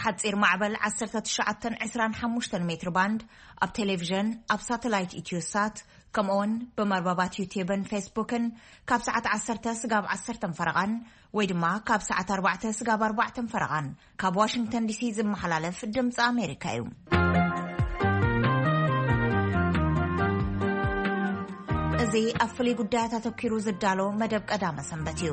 ሓጺር ማዕበል ዓሰርተ ትሽዓተ ዕስራን ሓሙሽተን ሜትር ባንድ ኣብ ቴሌቪዥን፣ ኣብ ሳተላይት ኢትዮሳት፣ ከምኡውን ብመርበባት ዩትዩብን ፌስቡክን ካብ ሰዓት ዓሰርተ ስጋብ ዓሰርተ ፈረቓን ወይ ድማ ካብ ሰዓት ኣርባዕተ ስጋብ ኣርባዕተ ፈረቓን ካብ ዋሽንግተን ዲሲ ዝመሓላለፍ ድምፂ ኣሜሪካ እዩ። እዚ ኣብ ፍሉይ ጉዳያት ኣተኪሩ ዝዳሎ መደብ ቀዳመ ሰንበት እዩ።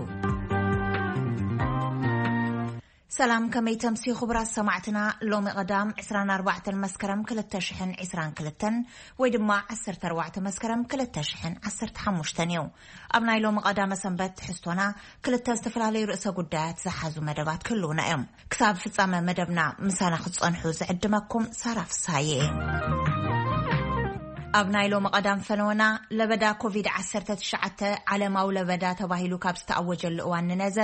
ሰላም፣ ከመይ ተምሲ ክቡራት ሰማዕትና? ሎሚ ቀዳም ዕስራን ኣርባዕተን መስከረም ክልተ ሽሕን ዕስራን ክልተን ወይ ድማ ዓሰርተ ኣርባዕተ መስከረም ክልተ ሽሕን ዓሰርተ ሓሙሽተን እዩ። ኣብ ናይ ሎሚ ቀዳመ ሰንበት ትሕዝቶና ክልተ ዝተፈላለዩ ርእሰ ጉዳያት ዝሓዙ መደባት ክህልውና እዮም። ክሳብ ፍጻመ መደብና ምሳና ክትጸንሑ ዝዕድመኩም ሳራ ፍሳዬ እየ። ኣብ ናይ ሎሚ ቀዳም ፈነወና ለበዳ ኮቪድ ዓሰርተ ትሽዓተ ዓለማዊ ለበዳ ተባሂሉ ካብ ዝተኣወጀሉ እዋን ንነዘ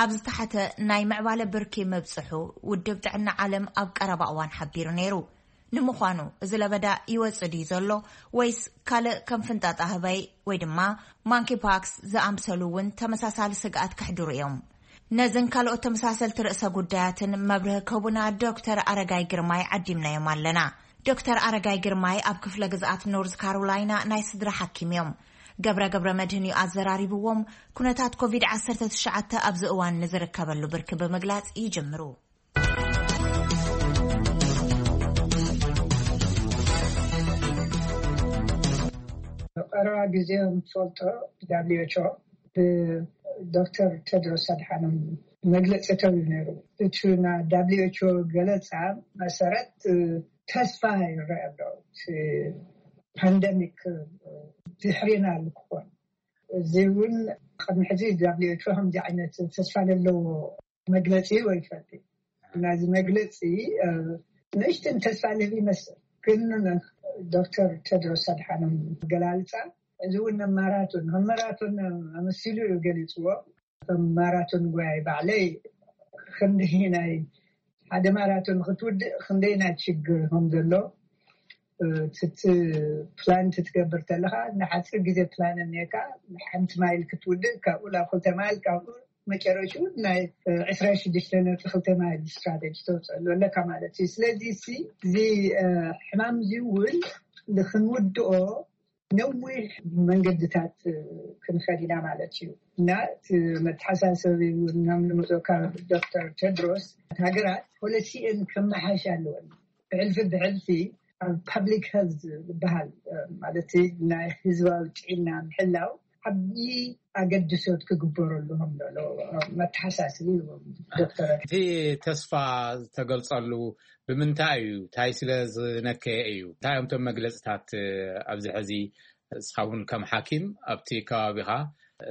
ኣብ ዝተሓተ ናይ ምዕባለ ብርኪ ምብጽሑ ውድብ ጥዕና ዓለም ኣብ ቀረባ እዋን ሓቢሩ ነይሩ። ንምዃኑ እዚ ለበዳ ይወጽእ ድዩ ዘሎ ወይስ ካልእ ከም ፍንጣጣ ህበይ ወይ ድማ ማንኪ ፓክስ ዝኣምሰሉ እውን ተመሳሳሊ ስግኣት ከሕድሩ እዮም? ነዝን ካልኦት ተመሳሰልቲ ርእሰ ጉዳያትን መብርሂ ክህቡና ዶክተር ኣረጋይ ግርማይ ዓዲምናዮም ኣለና። ዶክተር ኣረጋይ ግርማይ ኣብ ክፍለ ግዝኣት ኖርዝ ካሮላይና ናይ ስድራ ሓኪም እዮም። ገብረ ገብረ መድህን እዩ ኣዘራሪብዎም። ኩነታት ኮቪድ ዓሰርተ ትሽዓተ ኣብዚ እዋን ንዝርከበሉ ብርኪ ብምግላጽ ይጅምሩ። ቀረባ ግዜ ንፈልጦ፣ ዳብሊው ኤች ኦ ብዶክተር ቴድሮስ ኣድሓኖም መግለፂ ተብዩ ነይሩ። እቲ ና ዳብሊው ኤች ኦ ገለፃ መሰረት ተስፋ ይረአ ኣሎ፣ እቲ ፓንደሚክ ድሕሪና ክኾን። እዚ እውን ቅድሚ ሕዚ ዳብሊው ኤች ኦ ከምዚ ዓይነት ተስፋ ዘለዎ መግለፂ ወይ ፈልጢ ናዚ መግለፂ ንእሽትን ተስፋ ልህብ ይመስል። ግን ዶክተር ቴድሮስ ኣድሓኖም ገላልፃ፣ እዚ እውን ማራቶን ከም ማራቶን ኣመሲሉ እዩ ገሊፅዎ። ከም ማራቶን ጓይ ባዕለይ ክንደይ ናይ ሓደ ማራቶን ክትውድእ ክንደይ ናይ ችግር ከም ዘሎ፣ እቲ ፕላን ክትገብር ከለካ ንሓፂር ግዜ ፕላን እኒካ፣ ሓንቲ ማይል ክትውድእ፣ ካብኡ ናብ ክልተ ማይል፣ ካብኡ መጨረሽኡ ናይ ዕስራን ሽዱሽተ ነጥቢ ክልተ ማይል ስትራቴጂ ተውፅአሉ ኣለካ ማለት እዩ። ስለዚ እዚ ሕማም እዚ እውን ንክንውድኦ ነዊሕ መንገድታት ክንኸድ ኢና ማለት እዩ። እና እቲ መተሓሳሰቢ እውን ናብ ንምፅኦ ካብ ዶክተር ቴድሮስ፣ ሃገራት ፖሊሲኤን ከመሓሽ ኣለወን። ብሕልፊ ብሕልፊ ኣብ ፓብሊክ ሄልዝ ዝበሃል፣ ማለት ናይ ህዝባዊ ጥዕና ምሕላው ዓብዪ ኣገድሶት ክግበረሉ ከም ዘሎ መተሓሳስቢ ዶክተር። እቲ ተስፋ ዝተገልጸሉ ብምንታይ እዩ? እንታይ ስለ ዝነከየ እዩ? እንታይ እዮም እቶም መግለፅታት? ኣብዚ ሕዚ እስኻ እውን ከም ሓኪም ኣብቲ ከባቢኻ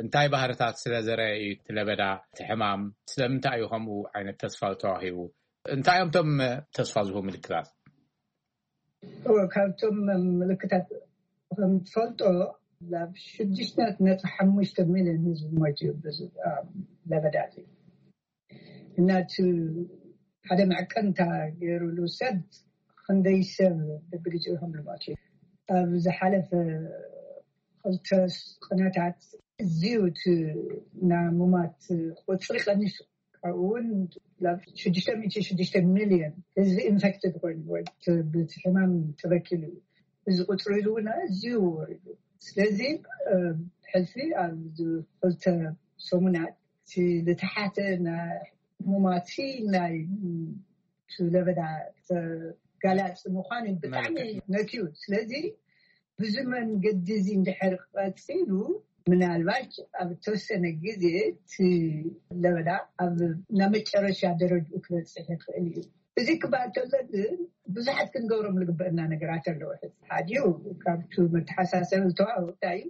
እንታይ ባህርታት ስለ ዘረአ እዩ እቲ ለበዳ፣ እቲ ሕማም? ስለምንታይ እዩ ከምኡ ዓይነት ተስፋ ዝተዋሂቡ? እንታይ እዮም እቶም ተስፋ ዝህቡ ምልክታት? ካብቶም ምልክታት ከም ትፈልጦ ናብ ሽዱሽተ ነጥቢ ሓሙሽተ ሚልዮን ህዝቢ ሞይቱ እዩ ብዙ ለበዳ እዚ። እና እቲ ሓደ መዕቀንታ ገይሩሉ ሰብ ክንደይ ሰብ በብግዜኡ ከም ዝሞት እዩ። ኣብ ዝሓለፈ ክልተ ቅነታት እዚዩ እቲ ናይ ሙማት ቁፅሪ ቀኒሱ። ካብኡ እውን ናብ ሽዱሽተ ሚእቲ ሽዱሽተ ሚልዮን ህዝቢ ኢንፌክትድ ኮይኑ ወይ ብቲ ሕማም ተበኪሉ እዩ። እዚ ቁፅሪ እዚ እውን ኣዝዩ ወሪዱ። ስለዚ ሕልፊ ኣብ ክልተ ሰሙናት እቲ ዝተሓተ ናይ ሙማቲ ናይ ለበዳ ተጋላፂ ምኳኑ ብጣዕሚ ነክዩ። ስለዚ ብዙ መንገዲ እዚ እንድሕር ቀፂሉ ምናልባሽ ኣብ ተወሰነ ግዜ እቲ ለበዳ ኣብ ናይ መጨረሻ ደረጅኡ ክበፅሕ ይኽእል እዩ። እዚ ክበሃል ከሎ ግን ብዙሓት ክንገብሮም ዝግበአና ነገራት ኣለዉ። ሕዚ ሓዲኡ ካብቲ መተሓሳሰቢ ዝተዋወቅካ እዩ።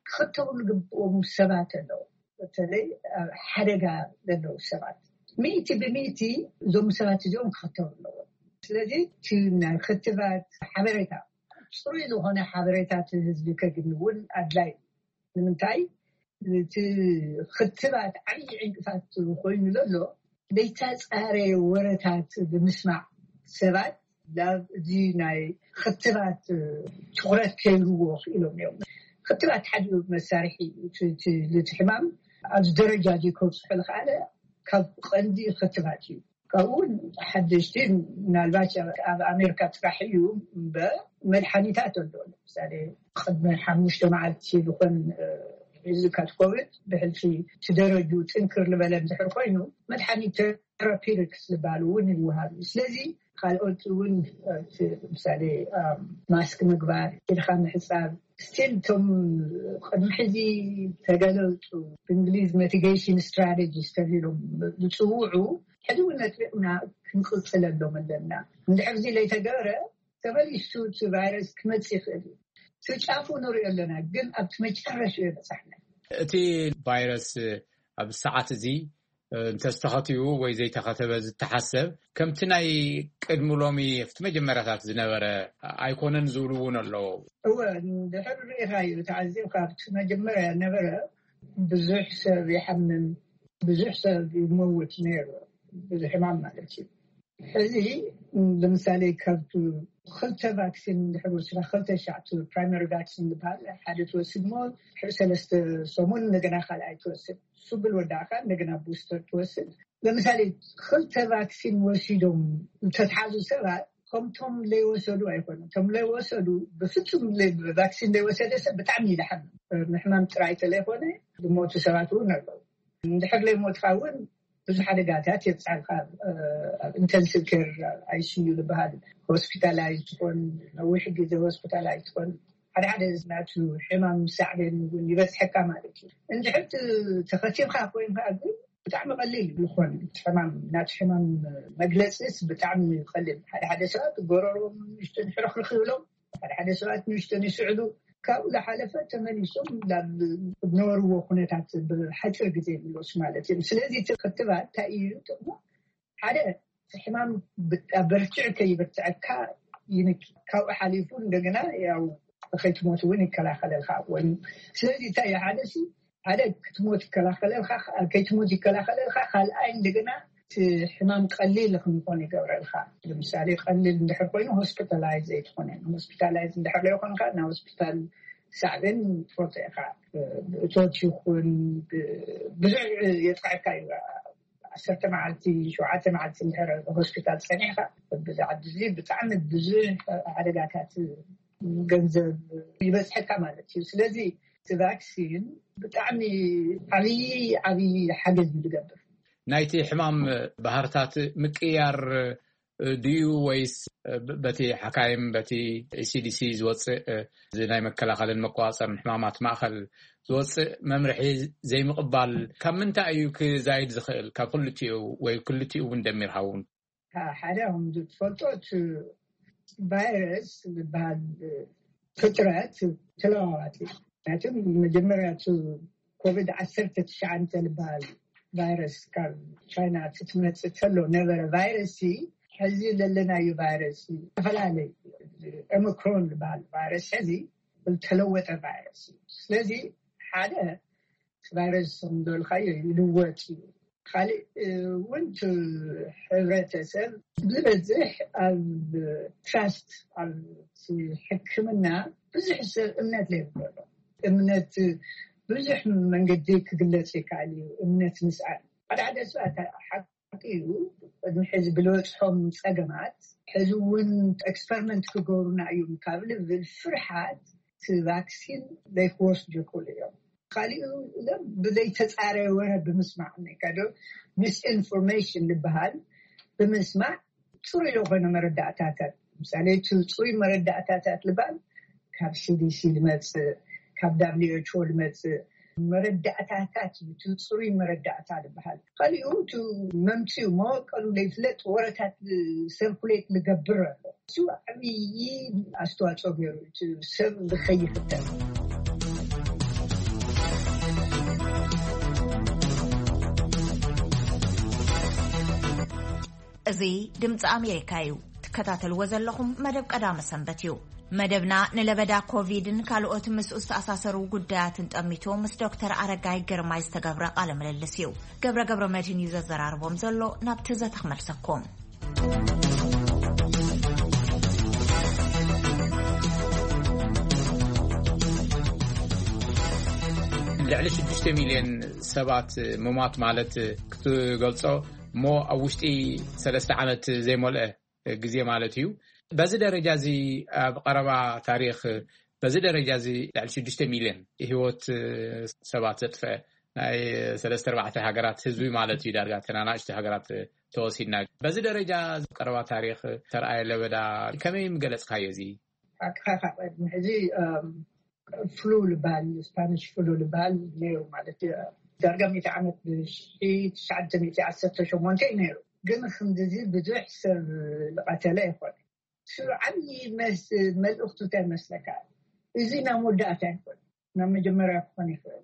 ክኽተቡ ዝግብኦም ሰባት ኣለዉ። በተለይ ኣብ ሓደጋ ዘለዉ ሰባት ሚእቲ ብሚእቲ እዞም ሰባት እዚኦም ክኽተቡ ኣለዎም። ስለለዚ እቲ ናይ ክትባት ሓበሬታ ፅሩይ ዝኾነ ሓበሬታ እቲ ህዝቢ ከግኒ እውን ኣድላይ። ንምንታይ እቲ ክትባት ዓብዪ ዕንቅፋት ኮይኑ ዘሎ ዘይተፃረየ ወረታት ብምስማዕ ሰባት ናብ እዚ ናይ ክትባት ትኩረት ከይህብዎ ክኢሎም እዮም። ክትባት ሓደ መሳርሒ እዩ። እቲ ሕማም ኣብዚ ደረጃ እዚ ከብፅሖ ዝኸኣለ ካብ ቀንዲ ክትባት እዩ። ካብኡ ሓደሽቲ ምናልባት ኣብ ኣሜሪካ ጥራሕ እዩ እምበር መድሓኒታት ኣሎ። ለምሳሌ ቅድሚ ሓሙሽተ መዓልቲ ዝኾን ሪዝካት ኮቪድ ብሕልፊ እቲ ደረጁ ጥንክር ዝበለ እንድሕር ኮይኑ መድሓኒት ቴራፒውቲክስ ዝበሃሉ እውን ይወሃብ እዩ። ስለዚ ካልኦት እውን ለምሳሌ ማስክ ምግባር፣ ኢድካ ምሕፃብ፣ ስቲል እቶም ቅድሚ ሕዚ ተገለፁ ብእንግሊዝ መቲጌሽን ስትራቴጂስ ተባሂሎም ዝፅውዑ ሕዚ እውን ነጥቢቕና ክንቅፅለሎም ኣለና። እንድሕር እዚ ለይተገበረ ተመሊሱ እቲ ቫይረስ ክመፅእ ይኽእል እዩ። እቲ ጫፉ ንሪኦ ኣለና፣ ግን ኣብቲ መጨረሻ የበፃሕና። እቲ ቫይረስ ኣብ ሰዓት እዚ እንተዝተኸትዩ ወይ ዘይተኸተበ ዝተሓሰብ ከምቲ ናይ ቅድሚ ሎሚ ኣብቲ መጀመርያታት ዝነበረ ኣይኮነን ዝብሉ እውን ኣለዉ። እወ፣ እንድሕር ርኢኻዮ ተዓዚብካ ኣብቲ መጀመርያ ነበረ ብዙሕ ሰብ ይሓምም፣ ብዙሕ ሰብ ይመውት ነይሩ፣ ብዙሕ ሕማም ማለት እዩ። ሕዚ ለምሳሌ ካብ ክልተ ቫክሲን እንድሕር ወሲድካ ክልተ ሻዕ ፕራይመሪ ቫክሲን ዝበሃል ሓደ ትወስድ ሞ ድሕሪ ሰለስተ ሰሙን እንደገና ካልኣይ ትወስድ፣ ስብል ወዳእካ እንደገና ቡስተር ትወስድ። ለምሳሌ ክልተ ቫክሲን ወሲዶም ዝተትሓዙ ሰባት ከምቶም ለይወሰዱ ኣይኮኑን። እቶም ለይወሰዱ ብፍጹም ለይ- ቫክሲን ለይወሰደ ሰብ ብጣዕሚ ይልሓም። ምሕማም ጥራይ ተለይኮነ ዝሞቱ ሰባት እውን ኣለዉ። እንድሕር ለይሞትካ እውን ብዙሕ ሓደጋታት የብፅሓልካ። ኣብ ኢንተንሲቭ ኬር፣ ኣይሲዩ ዝበሃል፣ ሆስፒታላይዝ ትኾን፣ ነዊሕ ግዜ ሆስፒታላይዝ ትኾን፣ ሓደ ሓደ ናቱ ሕማም ሳዕቤን እውን ይበፅሐካ ማለት እዩ። እንድሕር ት- ተኸቲብካ ኮይንካ ግን ብጣዕሚ ቀሊል ይኾን። ሕማም ናቱ ሕማም መግለፂስ ብጣዕሚ ቀሊል። ሓደ ሓደ ሰባት ጎረሮም ንእሽተን ሕርኽርኽ ይብሎም፣ ሓደ ሓደ ሰባት ንእሽተን ይስዕሉ። ካብኡ ዝሓለፈ ተመሊሶም ናብ ዝነበርዎ ኩነታት ብሓፂር ግዜ ይምለሱ ማለት እዮም። ስለዚ እቲ ክትባት እንታይ እዩ ጥቕሙ? ሓደ እቲ ሕማም ብጣ- በርትዕ ከይበርትዐካ ይንኪ። ካብኡ ሓሊፉ እንደገና ያው ከይትሞት እውን ይከላኸለልካ። ወይ ስለዚ እንታይ እዩ? ሓደ ሲ ሓደ ክትሞት ይከላኸለልካ፣ ከይትሞት ይከላኸለልካ። ካልኣይ እንደገና እቲ ሕማም ቀሊል ክንኮን ይገብረልካ። ለምሳሌ ቀሊል እንድሕር ኮይኑ ሆስፒታላይዝ ዘይትኾነ፣ ሆስፒታላይዝ እንድሕር ዘይኮንካ ናብ ሆስፒታል ሳዕቤን ትፈልጦ ኢኻ። እቶት ይኹን ብ- ብዙሕ የጥቃዕካ እዩ። ዓሰርተ መዓልቲ፣ ሸውዓተ መዓልቲ እንድሕር ሆስፒታል ፀኒሕካ ብዛዕባ እዚ ብጣዕሚ ብዙሕ ሓደጋታት ገንዘብ ይበፅሐካ ማለት እዩ። ስለዚ እቲ ቫክሲን ብጣዕሚ ዓብዪ ዓብዪ ሓገዝ እዩ ዝገብር። ናይቲ ሕማም ባህርታት ምቅያር ድዩ ወይስ በቲ ሓካይም በቲ ሲዲሲ ዝወፅእ እዚ ናይ መከላኸልን መቆፃፀርን ሕማማት ማእኸል ዝወፅእ መምርሒ ዘይምቕባል ካብ ምንታይ እዩ ክዛይድ ዝኽእል? ካብ ክልቲኡ ወይ ክልቲኡ እውን ደሚርካ እውን ሓደ ከም ዝትፈልጦ እቲ ቫይረስ ዝበሃል ፍጥረት ተለዋዋጢ እዩ። ምክንያቱ መጀመርያ እቲ ኮቪድ ዓሰርተ ትሽዓተ ዝበሃል ቫይረስ ካብ ቻይና ትመፅእ ተሎ ነበረ ቫይረስ ሲ ሕዚ ዘለናዩ ቫይረስ ሲ ዝተፈላለየ ኦሚክሮን ዝበሃል ቫይረስ ሕዚ ዝተለወጠ ቫይረስ እዩ። ስለዚ ሓደ ቫይረስ ንደልካዮ ይልወጥ እዩ። ካልእ እውን ሕብረተሰብ ዝበዝሕ ኣብ ትራስት ኣብ ሕክምና ብዙሕ ሰብ እምነት ዘይብሎ እምነት ብዙሕ መንገዲ ክግለጽ ይከኣል እዩ። እምነት ምስኣል ሓደ ሓደ ሰባት ሓቂ እዩ። ቅድሚ ሕዚ ብልበፅሖም ፀገማት ሕዚ እውን ኤክስፐሪመንት ክገብሩና እዮም ካብ ልብል ፍርሓት እቲ ቫክሲን ዘይክወስዱ ይኽእሉ እዮም። ካሊኡ ብዘይተፃረየ ወረ ብምስማዕ ከዶ ሚስኢንፎርሜሽን ዝበሃል ብምስማዕ ፅሩይ ዝኾነ መረዳእታታት ምሳሌ እቲ ፅሩይ መረዳእታታት ዝበሃል ካብ ሲዲሲ ዝመፅእ ካብ ዳብሊውኤችኦ ዝመፅእ መረዳእታታት እዩ። እቲ ፅሩይ መረዳእታ ዝበሃል ካሊኡ እቲ መምፅኡ መወቀሉ ዘይፍለጥ ወረታት ሰርኩሌት ዝገብር ኣሎ። እሱ ዓብዪ ኣስተዋፅኦ ገይሩ እቲ ሰብ ዝኸይፍተን እዚ ድምፂ ኣሜሪካ እዩ። ትከታተልዎ ዘለኹም መደብ ቀዳመ ሰንበት እዩ። መደብና ንለበዳ ኮቪድን ካልኦት ምስኡ ዝተኣሳሰሩ ጉዳያትን ጠሚቶ ምስ ዶክተር ኣረጋይ ግርማይ ዝተገብረ ቃለ ምልልስ እዩ። ገብረ ገብረ መድህን እዩ ዘዘራርቦም ዘሎ። ናብቲ ዘተ ክመልሰኩም። ልዕሊ ሽዱሽተ ሚልዮን ሰባት ምሟት ማለት ክትገልጾ እሞ ኣብ ውሽጢ ሰለስተ ዓመት ዘይመልአ ግዜ ማለት እዩ። በዚ ደረጃ እዚ ኣብ ቀረባ ታሪኽ በዚ ደረጃ እዚ ልዕሊ ሽዱሽተ ሚልዮን ህይወት ሰባት ዘጥፈ ናይ ሰለስተ ኣርባዕተ ሃገራት ህዝቢ ማለት እዩ። ዳርጋ ተናናሽቲ ሃገራት ተወሲድና በዚ ደረጃ ቀረባ ታሪኽ ተረኣየ ለበዳ ከመይ ምገለጽካዮ? እዚ ኣቅሓ ካብ ቅድሚ ሕዚ ፍሉ ዝበሃል ስፓኒሽ ፍሉ ዝበሃል ነይሩ ማለት እዩ። ዳርጋ ሚእቲ ዓመት ብሽትሽዓተ ዓሰርተ ሸሞንተ እዩ ነይሩ። ግን ክንድዚ ብዙሕ ሰብ ዝቐተለ ኣይኮነ። እሱ ዓብዪ መልእኽቱ እንታይ መስለካ? እዚ ናብ መወዳእታ ኣይኮነ ናብ መጀመርያ ክኾን ይኽእል።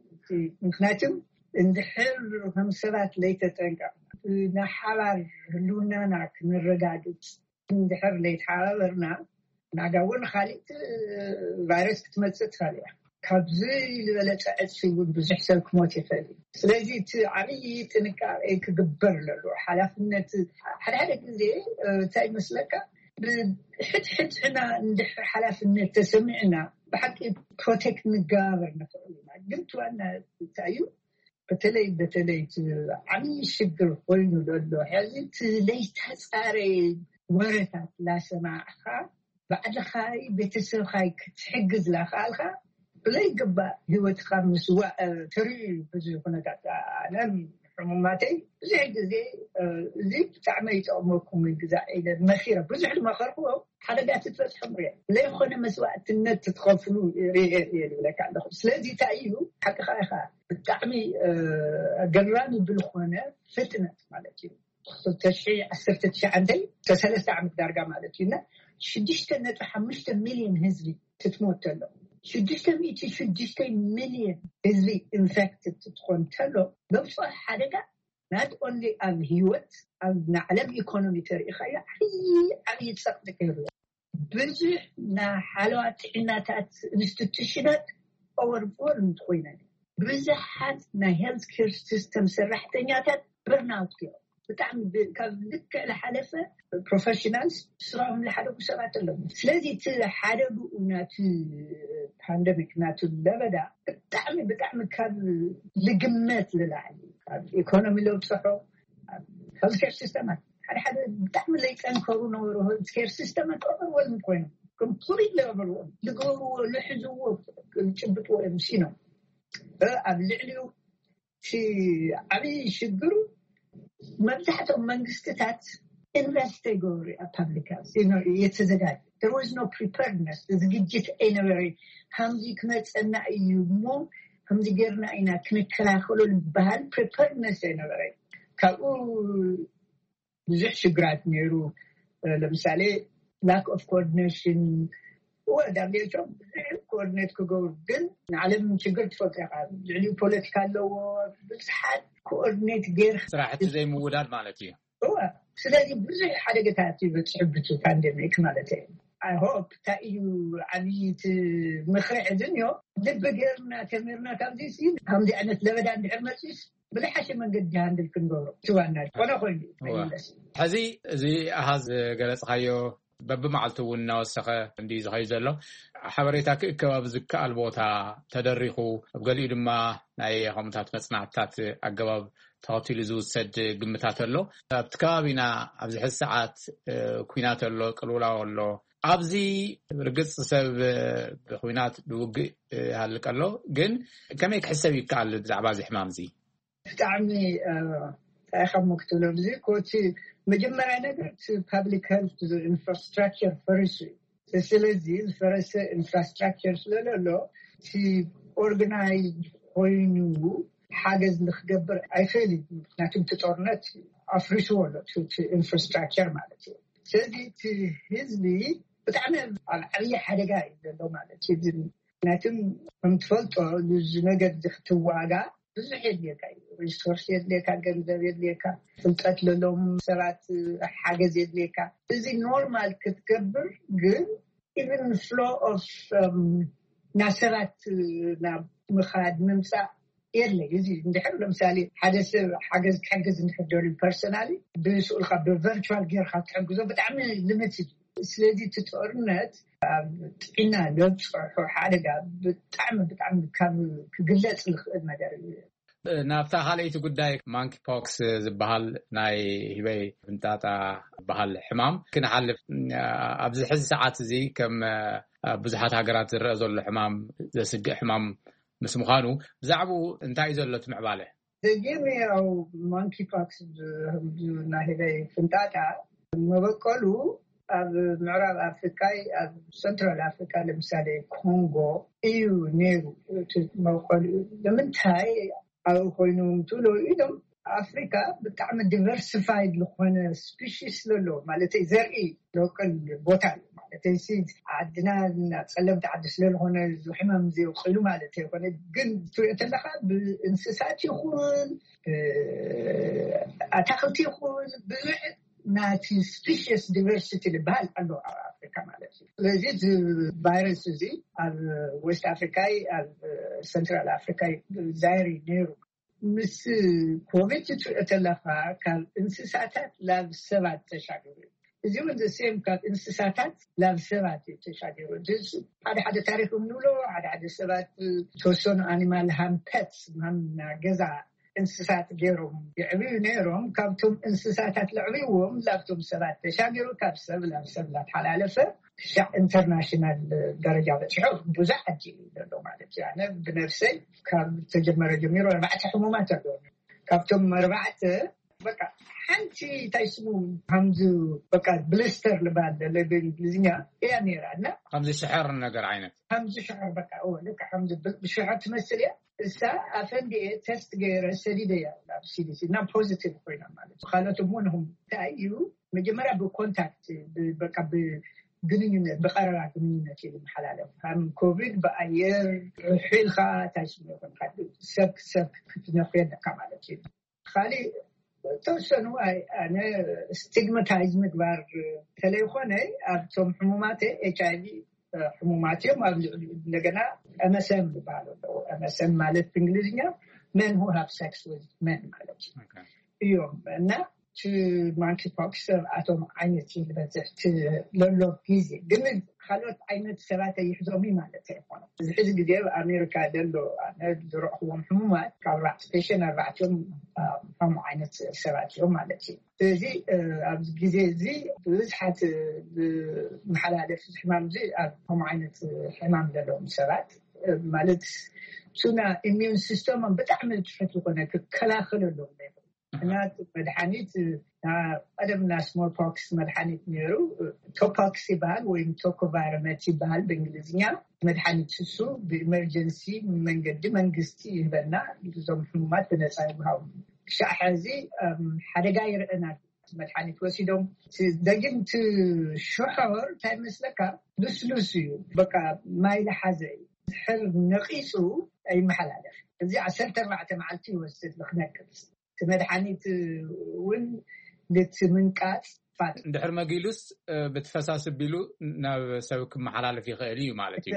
ምክንያቱም እንድሕር ከም ሰባት ለይተጠንቀቕ ናይ ሓባር ህልውናና ክንረጋግፅ እንድሕር ለይተሓባበርና ናጋ እውን ካሊእ ቫይረስ ክትመፅእ ትኽእል እያ። ካብዚ ዝበለፀ ዕፅፊ እውን ብዙሕ ሰብ ክሞት ይኽእል እዩ። ስለዚ እቲ ዓብዪ ጥንቃቄ ክግበር ኣለዎ። ሓላፍነት ሓደ ሓደ ግዜ እንታይ ይመስለካ ብሕድሕድና እንድሕር ሓላፍነት ተሰሚዕና ብሓቂ ፕሮቴክት ንገባበር ንኽእል ኢና። ግን ትዋና እንታይ እዩ በተለይ በተለይ ዓብዪ ሽግር ኮይኑ ዘሎ ሕዚ እቲ ለይተፃረየ ወረታት ላሰማዕካ ባዕልኻይ ቤተሰብኻይ ክትሕግዝ ላክኣልካ ብለይግባእ ህይወትካ ምስዋእ ተርእዩ ብዙ ኩነታት ኣነ ሕሙማተይ ብዙሕ ግዜ እዚ ብጣዕሚ ይጠቕመኩም ግዛ ኢለ መኺረ ብዙሕ ዝመኸርክዎ ሓደጋ ትበፅሖም ሪአ ዘይኮነ መስዋእትነት ትትኸፍሉ ሪአ እየ ዝብለካ ኣለኹ። ስለዚ እንታይ እዩ ሓቅኻ ኢኻ ብጣዕሚ ገራሚ ብልኾነ ፍጥነት ማለት እዩ ክልተ ሽሕ ዓሰርተ ትሽዓተ ሰለስተ ዓመት ዳርጋ ማለት እዩ እና ሽዱሽተ ነጥቢ ሓሙሽተ ሚልዮን ህዝቢ ክትሞት ተሎ ሽዱሽተ ሚእቲ ሽዱሽተ ሚልዮን ህዝቢ ኢንፌክትድ ክትኾን ተሎ ዘብፅኦ ሓደጋ ናት ኦንሊ ኣብ ህይወት ኣብ ንዓለም ኢኮኖሚ ተሪኢኻዮ ዓብዪ ዓብዪ ፀቕጢ ከይሩ ብዙሕ ናይ ሓለዋ ጥዕናታት ኢንስቲቱሽናት ኦቨርፎርምድ ኮይነን ብዙሓት ናይ ሄልት ኬር ሲስተም ሰራሕተኛታት በርናውት እዮም። ብጣዕሚ ካብ ልክዕ ዝሓለፈ ፕሮፌሽናልስ ስራኦም ዝሓደጉ ሰባት ኣለዉ። ስለዚ እቲ ሓደግኡ ናቲ ፓንደሚክ ናቲ ለበዳ ብጣዕሚ ብጣዕሚ ካብ ልግመት ዝላዕሊ ካብ ኢኮኖሚ ለውፅሖ ሄልት ኬር ሲስተማት ሓደ ሓደ ብጣዕሚ ዘይጠንከሩ ነበሩ። ሄልት ኬር ሲስተማት ኦቨርወልም ኮይኖም ኮምፕሊት ኦቨርወልም ዝገብርዎ ዝሕዝዎ ዝጭብጥዎ እዮም ሲኖም ኣብ ልዕሊኡ እቲ ዓብዪ ሽግሩ መብዛሕትኦም መንግስትታት ኢንቨስት ኣይገብሩ ኣብ ፓብሊክ ሄልት የተዘጋጀ there was no preparedness ዝግጅት ኣይነበረ። ከምዚ ክመፀና እዩ እሞ ከምዚ ጌርና ኢና ክንከላኸሎ ዝበሃል ፕሪፐርነስ ኣይነበረ። ካብኡ ብዙሕ ሽግራት ነይሩ። ለምሳሌ lack of coordination ወዳቤቸው ብዙሕ ኮኦርዲኔት ክገብሩ ግን ንዓለም ችግር ትፈልጦ ኢኻ። ልዕሊኡ ፖለቲካ ኣለዎ። ብዙሓት ኮኦርዲኔት ጌር ስራሕቲ ዘይምውዳድ ማለት እዩ። እወ ስለዚ ብዙሕ ሓደገታት ይበፅሑ ብቲ ፓንደሚክ ማለት እዩ። ኣይ ሆፕ እንታይ እዩ ዓብይቲ ምኽሪ ሕዝን ዮ ልቢ ጌርና ተሚርና ካብዚ ሲ ከምዚ ዓይነት ለበዳ እንድሕር መፅስ ብዝሓሸ መንገዲ ሃንድል ክንገብሮ ትዋና ኮነ ኮይኑ ይመለስ። ሕዚ እዚ ኣሃዝ ገለፅካዮ በብመዓልቱ እውን እናወሰኸ እንዲ ዝኸዩ ዘሎ ሓበሬታ ክእከብ ኣብ ዝከኣል ቦታ ተደሪኹ ኣብ ገሊኡ ድማ ናይ ከምታት መፅናዕትታት ኣገባብ ተኸቲሉ ዝውሰድ ግምታት ኣሎ። ኣብቲ ከባቢና ኣብዚ ሕዚ ሰዓት ኩናት ኣሎ፣ ቅልውላው ኣሎ። ኣብዚ ርግፅ ሰብ ብኩናት ብውግእ ይሃልቅ ኣሎ። ግን ከመይ ክሕሰብ ይከኣል ብዛዕባ እዚ ሕማም እዚ? ብጣዕሚ እንታይ ከም ክትብሎ እዚ ኮቲ መጀመርያ ነገር እቲ ፓብሊክ ሄልት ኢንፍራስትራክቸር ፈሪሱ እዩ። ስለዚ ዝፈረሰ ኢንፍራስትራክቸር ስለዘሎ እቲ ኦርጋናይዝ ኮይኑ ሓገዝ ንክገብር ኣይኽእል እዩ። ምክንያቱ እቲ ጦርነት ኣፍሪስዎ ኣሎ ኢንፍራስትራክቸር ማለት እዩ። ስለዚ እቲ ህዝቢ ብጣዕሚ ኣብ ዓብዪ ሓደጋ እዩ ዘሎ ማለት እዩ። ምክንያቱ ከም ትፈልጦ ንዚ ነገር እዚ ክትዋጋ ብዙሕ የድልየካ እዩ። ሪሶርስ የድልየካ፣ ገንዘብ የድልየካ፣ ፍልጠት ለሎም ሰባት ሓገዝ የድልየካ። እዚ ኖርማል ክትገብር ግን ኢቨን ፍሎ ኦፍ ናብ ሰባት ናብ ምኻድ ምምፃእ የለ። እዚ እንድሕር ለምሳሌ ሓደ ሰብ ሓገዝ ክሕግዝ እንድሕር ደልዩ ፐርሰናሊ ብስኡልካ ብቨርቹዋል ጌርካ ትሕግዞ ብጣዕሚ ልምት እዩ። ስለዚ እቲ ጦርነት ኣብ ጥዕና ዘብፅሖ ሓደጋ ብጣዕሚ ብጣዕሚ ካብ ክግለፅ ዝኽእል ነገር እዩ። ናብታ ካልኣይቲ ጉዳይ፣ ማንኪ ፖክስ ዝበሃል ናይ ህበይ ፍንጣጣ ዝበሃል ሕማም ክንሓልፍ፣ ኣብዚ ሕዚ ሰዓት እዚ ከም ኣብ ብዙሓት ሃገራት ዝረአ ዘሎ ሕማም፣ ዘስግእ ሕማም ምስ ምዃኑ፣ ብዛዕባኡ እንታይ እዩ ዘሎ እቲ ምዕባለ? ዘጌም ያው ማንኪ ፖክስ፣ ናይ ህበይ ፍንጣጣ፣ መበቀሉ ኣብ ምዕራብ ኣፍሪካ፣ ኣብ ሰንትራል ኣፍሪካ፣ ለምሳሌ ኮንጎ እዩ ነይሩ እቲ መበቀሉ። ንምንታይ ኣብኡ ኮይኖም ትብሎ ኢሎም፣ ኣፍሪካ ብጣዕሚ ዲቨርሲፋይድ ዝኾነ ስፒሽስ ስለሎ፣ ማለት ዘርኢ፣ ሎቀል ቦታ እዩ። ማለት ሲ ዓድና ጸለምቲ ዓዲ ስለዝኾነ እዚ ሕማም ዘየውቅሉ ማለት ኣይኮነ። ግን ትሪኦ ተለካ፣ ብእንስሳት ይኹን ኣታክልቲ ይኹን ብዙሕ ናቲ ስፒሽስ ዲቨርሲቲ ዝበሃል ኣሎ ኣብ ኣፍሪካ ማለት እዩ። ስለዚ እዚ ቫይረስ እዚ ኣብ ዌስት ኣፍሪካ፣ ኣብ ሰንትራል ኣፍሪካ ዛይሪ ነይሩ። ምስ ኮቪድ ትሪኦ ተለካ፣ ካብ እንስሳታት ላብ ሰባት ተሻገሩ። እዚ እውን ዘሴም ካብ እንስሳታት ላብ ሰባት እዩ ተሻገሩ። ሓደ ሓደ ታሪክ ንብሎ፣ ሓደ ሓደ ሰባት ዝተወሰኑ ኣኒማል ሃምፐት፣ ሃም ገዛ እንስሳት ገይሮም የዕብዩ ነይሮም። ካብቶም እንስሳታት ለዕብዎም ላብቶም ሰባት ተሻገሩ፣ ካብ ሰብ ላብ ሰብ ላተሓላለፈ ክሻዕ ኢንተርናሽናል ደረጃ በፂሑ ብዙሕ ዓዲ እዩ ዘሎ ማለት እዩ። ኣነ ብነፍሰይ ካብ ተጀመረ ጀሚሩ ኣርባዕተ ሕሙማት ኣለዉ። ካብቶም ኣርባዕተ በቃ ሓንቲ እንታይ ስሙ ከምዚ በቃ ብሊስተር ልባል ዘሎ ብእንግሊዝኛ እያ ነይራ እና ከምዚ ሽሐር ነገር ዓይነት ከምዚ ሽሐር በቃ ልካ ከምዚ ሽሐር ትመስል እያ። እሳ ኣፈንዲኤ ተስት ገይረ ሰዲደ እያ ናብ ሲዲሲ እና ፖዚቲቭ ኮይና ማለት እዩ። ካልኦት እውን እንታይ እዩ መጀመርያ ብኮንታክት በቃ ብግንኙነት ብቀረባ ግንኙነት እዩ ዝመሓላለፍ። ከም ኮቪድ ብኣየር ርሒልካ ታሽሚ ይኹን ሰብ ሰብ ክትነኽዮ ኣለካ ማለት እዩ። ካሊእ ተወሰኑ ኣነ ስቲግማታይዝ ምግባር ተለይኮነ ኣብቶም ሕሙማት ኤች ኣይቪ ሕሙማት እዮም። ኣብ ልዕሊ እንደገና ኤምኤስኤም ዝበሃል ኣለዎ። ኤምኤስኤም ማለት ብእንግሊዝኛ men who have sex with men ማለት እዩ እዮም እና ማንኪ ፖክስ ኣብኣቶም ዓይነት እዩ ዝበዝሕ ለሎ ግዜ ግን ካልኦት ዓይነት ሰባት ኣይሕዞም ማለት ኣይኮነ። እዚ ሕዚ ግዜ ኣብ ኣሜሪካ ዘሎ ዝረእክዎም ሕሙማት ካብ ኣርባዕተ ስፔሽን ኣርባዕቲኦም ከምኡ ዓይነት ሰባት እዮም ማለት እዩ። ስለዚ ኣብዚ ግዜ እዚ ብብዝሓት መሓላለፍ ሕማም እዚ ኣብ ከምኡ ዓይነት ሕማም ዘለዎም ሰባት ማለት ሱና ኢሚዩን ሲስተሞም ብጣዕሚ ትሑት ዝኾነ ክከላኸለሎም እና መድሓኒት ቀደምና ስሞል ፖክስ መድሓኒት ነይሩ። ቶፖክስ ይበሃል ወይም ቶኮቫርመት ይበሃል ብእንግሊዝኛ። መድሓኒት እሱ ብኢመርጀንሲ መንገዲ መንግስቲ ይህበና። እዞም ሕሙማት ብነፃ ይወሃቡ። ክሻዕ ሕዚ ሓደጋ ይረአና። መድሓኒት ወሲዶም ደጊም እቲ ሽሖር እንታይ መስለካ ልስሉስ እዩ። በቃ ማይ ለሓዘ እዩ። ድሕር ነቂፁ ኣይመሓላለፍ። እዚ ዓሰርተ ኣርባዕተ መዓልቲ ይወስድ ንክነቅፅ። እቲ መድሓኒት እውን ልቲ ምንቃፅ ፋት እንድሕር መጊሉስ ብትፈሳስ ቢሉ ናብ ሰብ ክመሓላለፍ ይኽእል እዩ ማለት እዩ።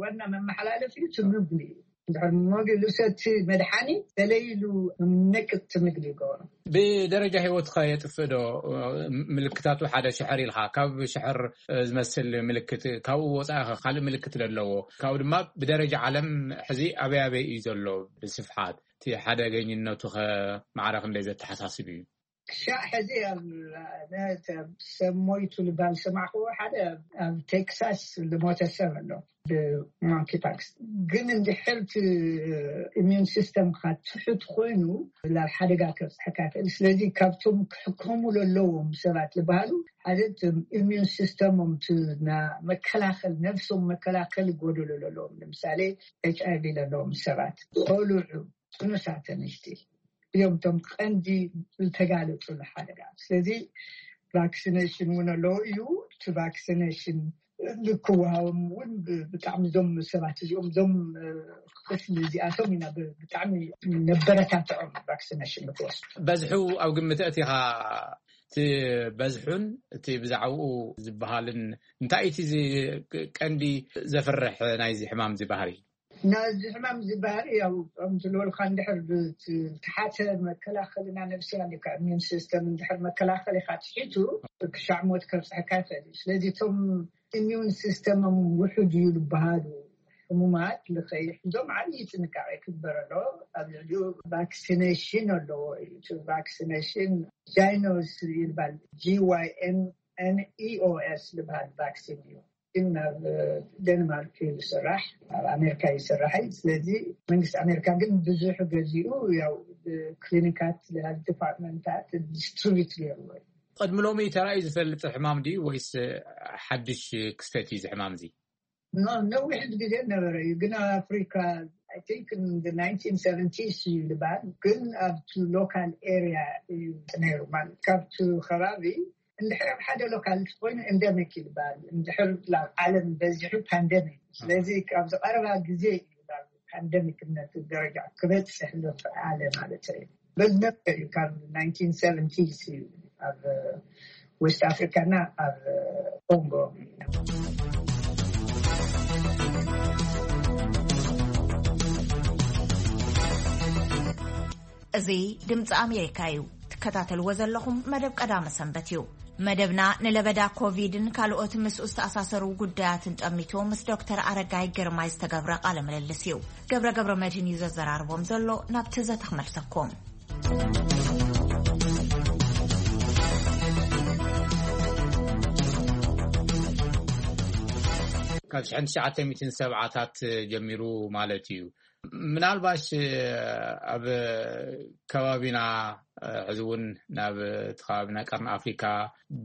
ዋና መመሓላለፍ እዩ ትምግቢ እዩ። እንድሕር መጊሉስ እቲ መድሓኒት ተለይሉ ነቅፅ ትምግቢ ይገብሮ። ብደረጃ ህይወትካ የጥፍእ ዶ? ምልክታቱ ሓደ ሽሕር ኢልካ ካብ ሽሕር ዝመስል ምልክት ካብኡ ወፃኢ ካልእ ምልክት ዘለዎ ካብኡ ድማ ብደረጃ ዓለም ሕዚ ኣበይ ኣበይ እዩ ዘሎ ብስፍሓት እቲ ሓደገኝነቱ ከ ማዕረ ክንደይ ዘተሓሳስብ እዩ? ክሻዕ ሕዚ ሰብ ሞይቱ ልባል ሰማዕክዎ ሓደ ኣብ ቴክሳስ ዝሞተ ሰብ ኣሎ ብማንኪ ፓክስ። ግን እንድሕር ኢሚዩን ሲስተምካ ትሑት ኮይኑ ናብ ሓደጋ ከብፅሐካ ይኽእል። ስለዚ ካብቶም ክሕከሙ ዘለዎም ሰባት ዝበሃሉ ሓደ ኢሚዩን ሲስተሞም መከላኸል ነብሶም መከላኸል ጎደሎ ዘለዎም ንምሳሌ ኤች ኣይቪ ዘለዎም ሰባት፣ ቆልዑ፣ ጥኑሳት ኣንሽቲ እዮም እቶም ቀንዲ ዝተጋለፁ ንሓደጋ። ስለዚ ቫክሲኔሽን እውን ኣለዎ እዩ። እቲ ቫክሲኔሽን ልክወሃቦም እውን ብጣዕሚ እዞም ሰባት እዚኦም እዞም ክፍሊ እዚኣቶም ኢና ብጣዕሚ ነበረታትዖም ቫክሲኔሽን ንክወስዱ። በዝሑ ኣብ ግምት ኣእቲኻ እቲ በዝሑን እቲ ብዛዕባኡ ዝበሃልን እንታይ እቲ ቀንዲ ዘፍርሕ ናይዚ ሕማም እዚ ባህሪ? ናዚ ሕማም እዚ ባህሪ ያው ከምቲ ዝበልካ እንድሕር ብተሓተ መከላኸልና ነብስና ልካ ኢሚዩን ሲስተም እንድሕር መከላኸሊካ ትሒቱ ክሻዕ ሞት ከብፅሐካ ይኽእል እዩ። ስለዚ እቶም ኢሚዩን ሲስተሞም ውሑድ እዩ ዝበሃሉ ሕሙማት ንኸይሕዞም ዓብዪ ጥንቃቄ ክግበር ኣለዎ። ኣብ ልዕሊኡ ቫክሲኔሽን ኣለዎ እዩ። እቲ ቫክሲኔሽን ጃይኖስ ይባል፣ ጂ ዋይ ኤን ኤን ኢ ኦ ኤስ ዝበሃል ቫክሲን እዩ። ግን ኣብ ደንማርክ እዩ ዝስራሕ፣ ኣብ ኣሜሪካ ይስራሕ እዩ። ስለዚ መንግስቲ ኣሜሪካ ግን ብዙሕ ገዚኡ፣ ያው ክሊኒካት፣ ዲፓርትመንታት ዲስትሪቢዩት ገይርዎ እዩ። ቅድሚ ሎሚ ተራእዩ ዝፈልጥ ሕማም ድዩ ወይስ ሓድሽ ክስተት እዩ እዚ ሕማም እዚ? ኖ፣ ነዊሕ ግዜ ነበረ እዩ፣ ግን ኣብ ኣፍሪካ፣ I think, in the nineteen seventies እዩ ዝበሃል። ግን ኣብቲ ሎካል ኤሪያ እዩ ነይሩ፣ ማለት ካብቲ ከባቢ እንድሕር ኣብ ሓደ ሎካል ኮይኑ ኤንደሚክ ይበሃል፣ እንድሕር ናብ ዓለም በዚሑ ፓንደሚክ። ስለዚ ኣብዚ ቀረባ ግዜ እዩ ናብ ፓንደሚክነት ደረጃ ክበፅሕ ዝኸኣለ ማለት እዩ። በዝነብር እዩ፣ ካብ ናይንቲን ሰቨንቲስ እዩ ኣብ ዌስት ኣፍሪካና ኣብ ኮንጎ። እዚ ድምፂ ኣሜሪካ እዩ። ትከታተልዎ ዘለኹም መደብ ቀዳመ ሰንበት እዩ። መደብና ንለበዳ ኮቪድን ካልኦት ምስኡ ዝተኣሳሰሩ ጉዳያትን ጠሚቶ ምስ ዶክተር ኣረጋይ ግርማይ ዝተገብረ ቃለ ምልልስ እዩ። ገብረ ገብረ መድህን እዩ ዘዘራርቦም ዘሎ። ናብ ትዘተ ክመልሰኩም። ካብ ሽሕን ትሽዓተ ሚእትን ሰብዓታት ጀሚሩ ማለት እዩ። ምናልባሽ ኣብ ከባቢና ሕዚ እውን ናብ እቲ ከባቢና ቀርኒ ኣፍሪካ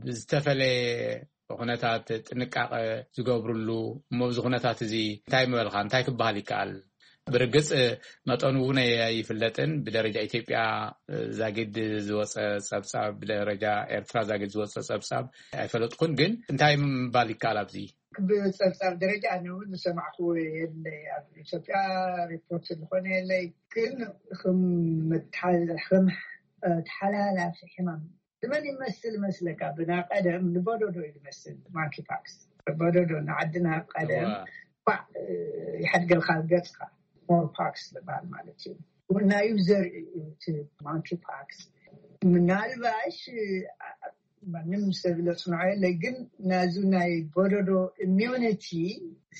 ብዝተፈለየ ኩነታት ጥንቃቐ ዝገብርሉ እሞ፣ ኣብዚ ኩነታት እዚ እንታይ ምበልካ፣ እንታይ ክበሃል ይከኣል? ብርግፅ መጠኑ እውን ኣይፍለጥን። ብደረጃ ኢትዮጵያ ዛጊድ ዝወፀ ፀብፃብ፣ ብደረጃ ኤርትራ ዛጊድ ዝወፀ ፀብፃብ ኣይፈለጥኩን። ግን እንታይ ምባል ይከኣል ኣብዚ? ብፀብፃብ ደረጃ ኣነ እውን ዝሰማዕኩዎ የለይ። ኣብ ኢትዮጵያ ሪፖርት ዝኾነ የለይ። ግን ከም መተሓ- ከም ተሓላላፊ ሕማም ንመን ይመስል መስለካ? ብና ቀደም ንቦዶዶ እዩ ዝመስል፣ ማንኪ ፓክስ። ቦዶዶ ንዓድና ቀደም ኳዕ ይሓድገልካ ገፅካ፣ ስሞል ፓክስ ዝበሃል ማለት እዩ። ናዩ ዘርኢ እዩ እቲ ማንኪ ፓክስ። ምናልባሽ ማንም ሰብ ለፅንዖ የለ፣ ግን ናዙ ናይ ቦዶዶ ኢሚዩኒቲ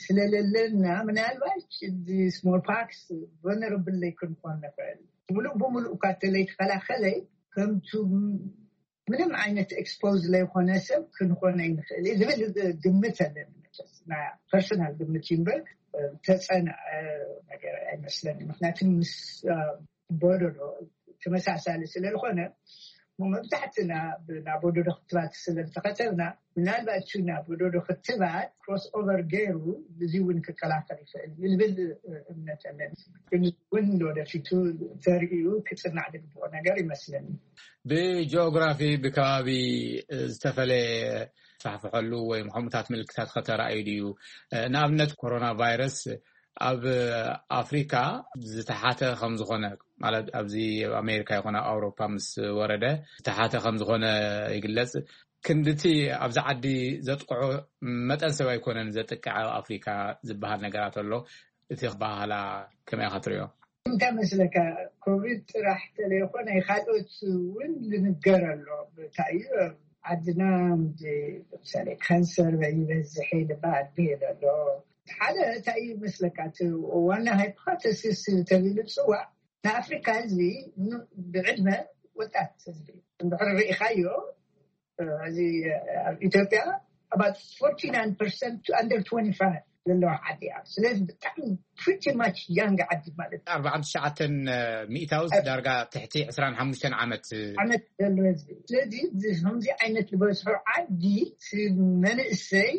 ስለለለና ምናልባሽ እዚ ስሞል ፓክስ ቨነረብል ለይ ክንኮን ንኽእል። ሙሉእ ብሙሉእ እኳ ተለይተኸላኸለ ከምቱ ምንም ዓይነት ኤክስፖዝ ለይኮነ ሰብ ክንኾነ ይንኽእል እዩ ዝብል ግምት ኣለኒ። ና ፐርሰናል ግምት እዩ እምበር ተፀንዐ ነገር ኣይመስለኒ። ምክንያቱ ምስ ቦዶዶ ተመሳሳሊ ስለዝኾነ መብዛሕትና ናብ ቦዶዶ ክትባት ስለዝተኸተብና ምናልባት ሹ ናብ ቦዶዶ ክትባት ክሮስ ኦቨር ገይሩ እዚ እውን ክከላኸል ይኽእል ዝብል እምነት ኣለኒ። ግን እውን ወደፊቱ ተርእዩ ክፅናዕ ዝግብኦ ነገር ይመስለኒ። ብጂኦግራፊ ብከባቢ ዝተፈለየ ፋሕፍሐሉ ወይ ሕሙታት ምልክታት ከተራእዩ ድዩ? ንኣብነት ኮሮና ቫይረስ ኣብ ኣፍሪካ ዝተሓተ ከም ዝኾነ፣ ማለት ኣብዚ ኣብ ኣሜሪካ ይኹን ኣብ ኣውሮፓ ምስ ወረደ ዝተሓተ ከም ዝኾነ ይግለጽ። ክንድቲ ኣብዚ ዓዲ ዘጥቅዖ መጠን ሰብ ኣይኮነን ዘጥቅዕ ኣብ ኣፍሪካ ዝበሃል ነገራት ኣሎ። እቲ ባህላ ከመይ ኢኻ ትሪኦ? እንታይ መስለካ፣ ኮቪድ ጥራሕ ተለይኮነ ካልኦት እውን ዝንገር ኣሎ። እንታይ እዩ ዓድና ምሳሌ ካንሰር ይበዝሕ ይልበሃል ብሄል ኣሎ። ሓደ እንታይ እዩ መስለካ፣ እቲ ዋና ሃይፖቴሲስ ተቢሉ ዝፅዋዕ ንኣፍሪካ ህዝቢ ብዕድመ ወጣት ህዝቢ እንድሕር ርኢኻዮ፣ እዚ ኣብ ኢትዮጵያ about forty nine percent under twenty five ዘለዋ ዓዲ እያ። ስለዚ ብጣዕሚ ፕሪቲ ማች ያንግ ዓዲ ማለት እዩ። ኣርባዓን ትሽዓተን ሚእታውስ ዳርጋ ትሕቲ ዕስራን ሓሙሽተን ዓመት። ዓመት ዘሎ ህዝቢ። ስለዚ እዚ ከምዚ ዓይነት ዝበዝሖ ዓዲ እቲ መንእሰይ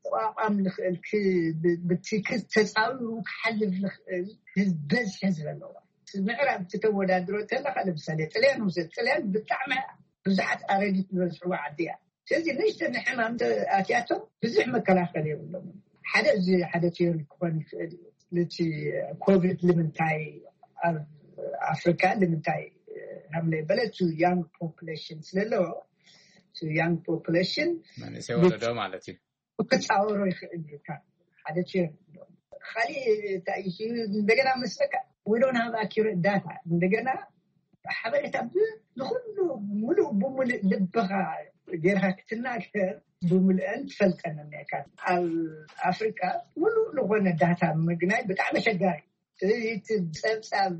ክቋቋም ዝኽእል፣ ክ- ብ- ብቲ ክተፃዊሩ ክሓልፍ ዝኽእል ህዝቢ በዝሒ ህዝቢ ኣለዋ። ምዕራብ ክትወዳድሮ ከለካ ለምሳሌ ጥልያን ውሰድ። ጥልያን ብጣዕሚ ብዙሓት ኣረጊት ዝበዝሕዋ ዓዲ እያ። ስለዚ ንእሽተን ሕማም ኣትያቶም ብዙሕ መከላኸሊ የብሎም። ሓደ እዚ ሓደ ቲዮሪ ክኾን ይኽእል እዩ። ነቲ ኮቪድ ንምንታይ ኣብ ኣፍሪካ ንምንታይ ሃምለ በለ፣ ቱ ያንግ ፖፕሌሽን ስለለዎ፣ ቱ ያንግ ፖፕሌሽን መንእሰይ ወለዶ ማለት እዩ። ክፃወሮ ይኽእል እዩ። ካብ ሓደ ቲዮሪ ኣለዎ። ካሊእ እንታይ እዩ እንደገና መስለካ፣ we don't have accurate data። እንደገና ሓበሬታ ብ- ንኩሉ ሙሉእ ብሙሉእ ልብኻ ጌርካ ክትናገር ብምልአን ትፈልጠን እኒካ። ኣብ ኣፍሪካ ሙሉእ ዝኾነ ዳታ ምግናይ ብጣዕሚ ኣሸጋሪ። ስለዚ እቲ ፀብፃብ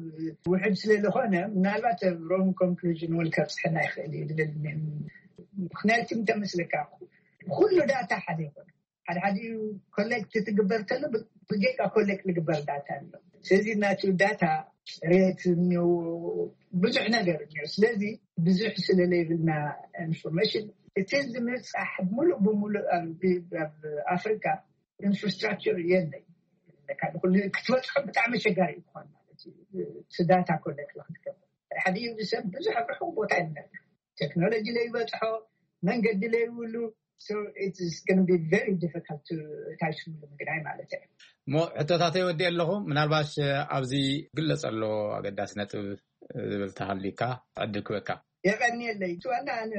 ውሕድ ስለዝኾነ ምናልባት ሮንግ ኮንክሉዥን እውን ከብፅሐና ይኽእል እዩ ዝብል። ምክንያቱ እንተመስለካ ኩሉ ዳታ ሓደ ይኮነ። ሓደ ሓደ ኮሌክት ትግበር ከሎ ብጌጋ ኮሌክት ዝግበር ዳታ ኣሎ። ስለዚ ናቱ ዳታ ሬት እኒኦ፣ ብዙሕ ነገር እኒኦ። ስለዚ ብዙሕ ስለለይብልና ኢንፎርሜሽን እቲ ዝምፃሕ ሙሉእ ብሙሉእ ኣብ ኣፍሪካ ኢንፍራስትራክቸር የለይ። ክትበፅሖ ብጣዕሚ ኣሸጋሪ እዩ ክኾን ማለት እዩ። እቲ ዳታ ኮሌክት ክትገብር ሓደ ሰብ ብዙሕ ኣብ ርሑቕ ቦታ ይነብር። ቴክኖሎጂ ለይበፅሖ፣ መንገዲ ለይብሉ፣ so it's going to be very difficult to ታሽሙ ምግናይ ማለት እዩ። እሞ ሕቶታተይ ወዲ ኣለኹ። ምናልባሽ ኣብዚ ግለጸ ኣሎ ኣገዳሲ ነጥብ ዝብል ተሃሊካ ዕድል ክበካ። የቐንየለይ። እቲ ዋና ኣነ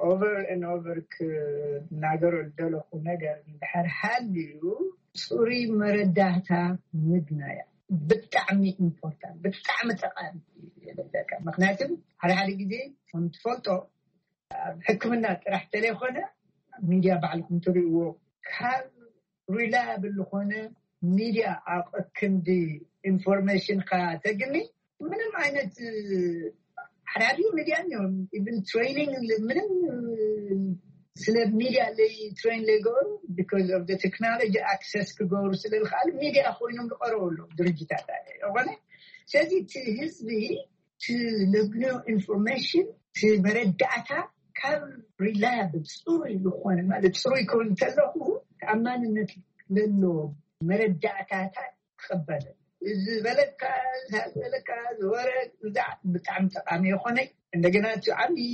ኦቨር ን ኦቨር ክናገሮ ዝደለኹ ነገር እንድሕር ሃልዩ፣ ፅሩይ መረዳእታ ምግናያ ብጣዕሚ ኢምፖርታንት፣ ብጣዕሚ ጠቃሚ። ምክንያቱ ሓደ ሓደ ግዜ ከም ትፈልጦ ኣብ ሕክምና ጥራሕ ተለይኮነ፣ ሚድያ ባዕልኩም ትርእይዎ፣ ካብ ሪላያብል ዝኾነ ሚድያ ኣብ ክንዲ ኢንፎርሜሽን ካ ተግኒ ምንም ዓይነት ሓዳሪ ሚድያ እዮም። ኢቭን ትሬኒንግ ምንም ስለ ሚድያ ለይ ትሬን ለይገበሩ፣ because of the technology access ክገብሩ ስለ ዝኽኣሉ፣ ሚድያ ኮይኖም ዝቀረቡ ኣለዉ ድርጅታት። ይኾነ ስለዚ እቲ ህዝቢ ትልግኖ ኢንፎርሜሽን፣ መረዳእታ ካብ ሪላያብል፣ ፅሩይ ዝኾነ፣ ማለት ፅሩይ ክብል እንተለኹ ተኣማንነት ለሎ መረዳእታታት ክቕበል። እዚ በለካ ዝበለካ ዝወረ ብጣዕሚ ጠቃሚ የኾነ። እንደገና እቲ ዓብዪ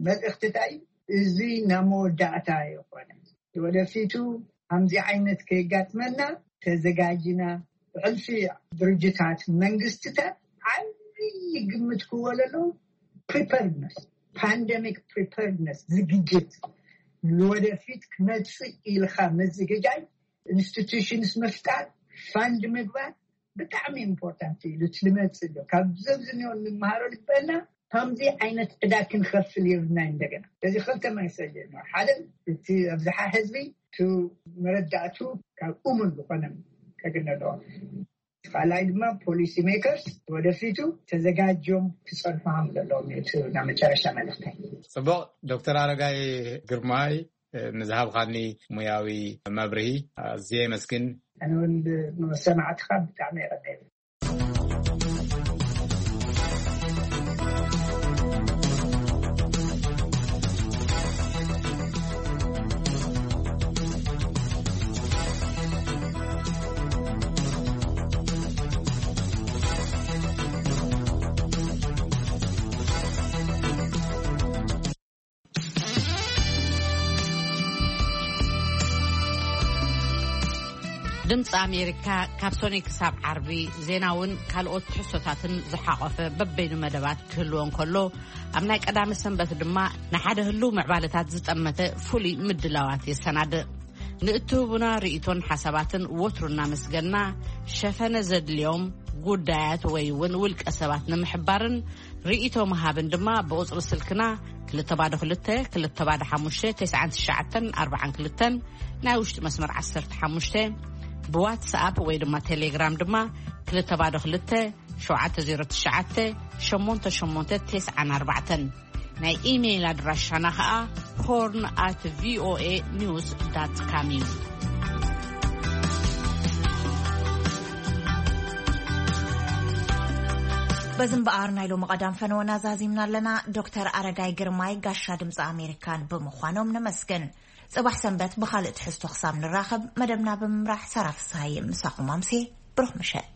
መልእክትታይ እዚ ናብ መወዳእታ የኾነ። ወደፊቱ ከምዚ ዓይነት ከየጋጥመና ተዘጋጅና፣ ብሕልፊ ድርጅታት መንግስትታት ዓብዪ ግምት ክወለሎ ፕሪፐርድነስ፣ ፓንደሚክ ፕሪፐርድነስ ዝግጅት ንወደፊት ክመፅእ ኢልካ ምዝግጃይ፣ ኢንስቲቱሽንስ ምፍጣር፣ ፋንድ ምግባር ብጣዕሚ ኢምፖርታንት እዩ። ዝመፅእ ኣሎ ካብ ዘብዝኒኦ እንመሃሮ ልበና ከምዚ ዓይነት ዕዳ ክንኸፍል የብልና። እንደገና እዚ ክልተ መሰል እዩ። ሓደ እቲ ኣብዝሓ ህዝቢ ቱ መረዳእቱ ካብ እሙን ዝኾነ ከግነ ኣለዎ። ካልኣይ ድማ ፖሊሲ ሜከርስ ወደፊቱ ተዘጋጅዮም ክፀንሑ ከም ዘለዎም እዩ እቲ ናይ መጨረሻ መልእክተይ። ፅቡቅ። ዶክተር ኣረጋይ ግርማይ፣ ንዝሃብካኒ ሙያዊ መብርሂ ኣዝየ የመስግን። ኣነ እውን ንመሰማዕትኻ ብጣዕሚ የቐንየለይ። ድምፂ ኣሜሪካ ካብ ሶኒ ክሳብ ዓርቢ ዜናውን ካልኦት ትሕዝቶታትን ዝሓቆፈ በበይኑ መደባት ክህልዎ እንከሎ፣ ኣብ ናይ ቀዳመ ሰንበት ድማ ንሓደ ህልው ምዕባለታት ዝጠመተ ፍሉይ ምድላዋት የሰናድእ። ንእትህቡና ርእይቶን ሓሳባትን ወትሩ እናመስገና፣ ሸፈነ ዘድልዮም ጉዳያት ወይ እውን ውልቀ ሰባት ንምሕባርን ርእይቶ ምሃብን ድማ ብቁጽሪ ስልክና ክልተ ባዶ ክልተ፣ ክልተ ባዶ ሓሙሽተ፣ ተስዓን ትሽዓተን ኣርባዓን ክልተን፣ ናይ ውሽጢ መስመር ዓሰርተ ሓሙሽተ፣ ብዋትስኣፕ ወይ ድማ ቴሌግራም ድማ ክልተ ባዶ ክልተ፣ ሸውዓተ ዜሮ ትሽዓተ፣ ሸሞንተ ሸሞንተ ተስዓን ኣርባዕተን። ናይ ኢሜይል ኣድራሻና ኸኣ ሆርን ኣት ቪኦኤ ኒውስ ዳት ካም እዩ። በዚ እምበኣር ናይ ሎሚ ቀዳም ፈነወና ዛዚምና ኣለና። ዶክተር ኣረጋይ ግርማይ ጋሻ ድምፂ ኣሜሪካን ብምዃኖም ነመስግን። ጽባሕ ሰንበት ብኻልእ ትሕዝቶ ክሳብ ንራኸብ መደብና ብምምራሕ ሳራ ፍስሃየ ምሳኹም ኣምሴ። ብሩኽ ምሸት።